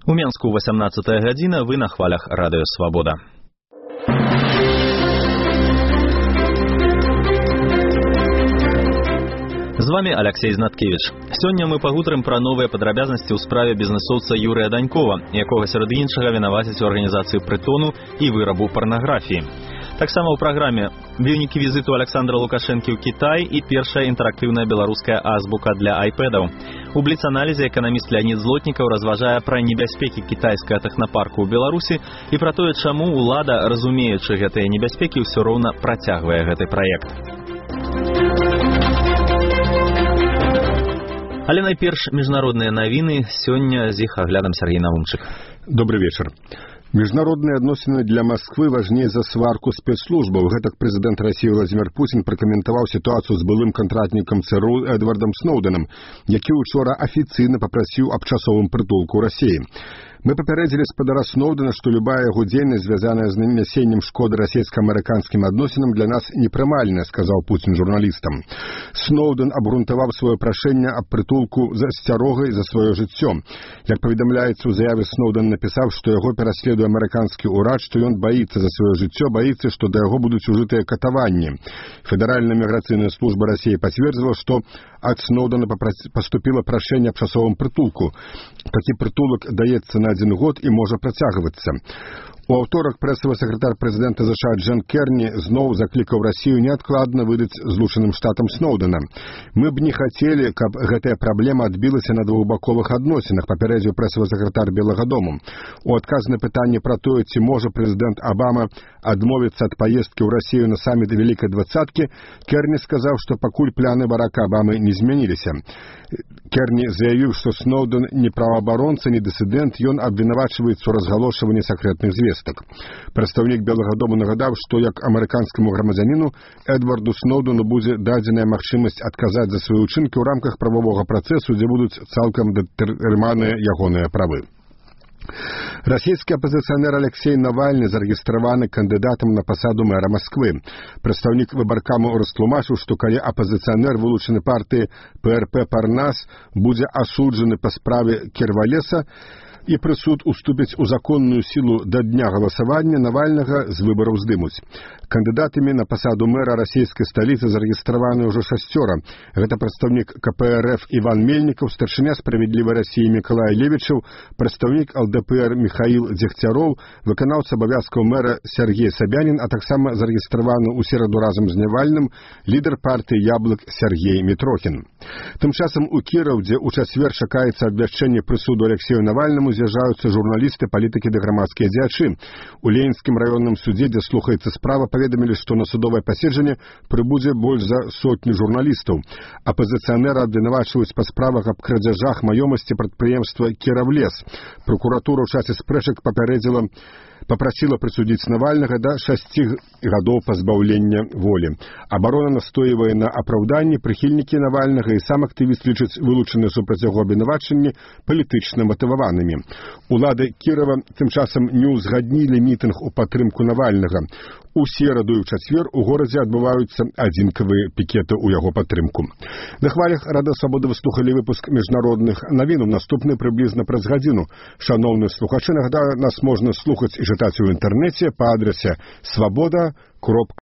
У Менску 18 гадзіна, вы на хвалях радыё Свабода. З вами Алексей Знаткевич. Сёння мы пагутарым пра новыя падрабязнасці ў справе бізнесоўца Юрыя Данькова, якога сярод іншага вінавацяць у арганізацыі прытону і вырабу парнаграфіі. Таксама ў праграме вынікі візіту Александра Лукашэнкі ў Кітай і першая інтэрактыўная беларуская азбука для айпэдаў. У бліц-аналізе эканаміст Леонид Злотнікаў разважае пра небяспекі кітайскага тэхнапарку ў Беларусі і пра тое, чаму ўлада, разумеючы гэтыя небяспекі, ўсё роўна працягвае гэты праект. Але найперш міжнародныя навіны, сёння з іх аглядам Сергей Навумчык. Добрый вечер. Международные адносіны для Москвы важней за сварку спецслужбаў. Гэтак прэзідэнт России Владимир Путин пракаментаваў сітуацыю з былым контрактнікам ЦРУ Эдвардом Сноуденом, які учора афіцыйна папрасіў аб часовым прытулку ў России. Мы папярэдзілі спадара Сноудена, што любая яго дзейнасць, звязаная з нанясеннем шкоды расійска-амерыканскім адносінам, для нас непрымальная, сказаў Путин журналістам. Сноуден абгрунтаваў сваё прашэнне аб прытулку з асцярогай за сваё жыццё. Як паведамляецца ў заяве, Сноуден напісаў, што яго пераследуе амерыканскі ўрад, што ён баіцца за сваё жыццё, баіцца, што да яго будуць ужытыя катаванні. Федэральная міграцыйная служба России пацвердзіла, што ад Сноудена паступіла прашэнне аб часовым прытулку. Такі прытулак даецца на 1 год і можа працягвацца. У аўторак прэсавы сакратар прэзідэнта США Джон Керні зноў заклікаў Россию неадкладна выдаць Злучаным Штатам Сноудена. Мы б не хацелі, каб гэтая праблема адбілася на двухбаковых адносінах, папярэдзіў прэсавы сакратар Белага дому. У адказ на пытанне пра тое, ці можа прэзідэнт Обама адмовіцца ад паездкі ў Россию на саміт Вялікай двадцаткі, Керні сказаў, што пакуль пляны Барака Обамы не змяніліся. Керні заявіў, што Сноуден не праваабаронца, не дысідэнт, ён абвінавачваецца ў разгалошванні сакрэтных звестак. Прадстаўнік Белага дому нагадаў, што як амерыканскаму грамадзяніну Эдварду Сноудену будзе дадзеная магчымасць адказаць за свае ўчынкі ў рамках прававога працэсу, дзе будуць цалкам датэрмінаваныя ягоныя правы. Расійскі апазіцыянер Алексей Навальны зарэгістраваны кандыдатам на пасаду мэра Москвы. Прадстаўнік выбаркаму растлумачыў, што калі апазіцыянер, вылучаны партыі ПРП «Парнас», будзе асуджаны па справе Кірвалеса, і прысуд уступіць у законную сілу да дня галасавання, Навальнага з выбараў здымуць. Кандыдатамі на пасаду мэра расійскай сталіцы зарэгістраваны ўжо 6. Гэта прадстаўнік КПРФ Іван Мельнікаў, старшыня «Справядлівай России» Мікалай Левічаў, прадстаўнік ЛДПР Михаил Дзегцяроў, выканаўца абавязкаў мэра Сергей Собянин, а таксама зарэгістраваны ў сераду разам з Навальным лідар партыі «Яблык» Сергей Мітрохін. Тым часам у Кіраў, дзе ў чацвер чакаецца абвяшчэнне прысуду Алексею Навальнаму, з'язджаюцца журналісты, палітыкі ды грамадскія дзеячы. У Ленінскім раённым судзе, дзе слухаецца справа, паведамілі, што на судовае паседжанне прыбудзе больш за 100 журналістаў. Апазіцыянера абвінавачваюць па справах аб крадзяжах маёмасці прадпрыемства «Кіравлес». Пракуратура ў часе спрэчак папрасіла прысудзіць Навальнага да 6 гадоў пазбаўлення волі. Абарона настойвае на апраўданні, прыхільнікі Навальнага і сам актывіст лічаць вылучаныя супраць яго абвінавачанні палітычна матываванымі. Улады Кірава тым часам не ўзгаднілі мітынг у падтрымку Навальнага. У сераду і ў чацвер у горадзе адбываюцца адзінкавыя пікеты ў яго падтрымку. На хвалях Радыё Свабода вы слухалі выпуск міжнародных навін. Наступны прыблізна праз гадзіну. Шаноўныя слухачы, нагадаю, нас можна слухаць і чытаць у інтэрнэце па адрасе swaboda.ru.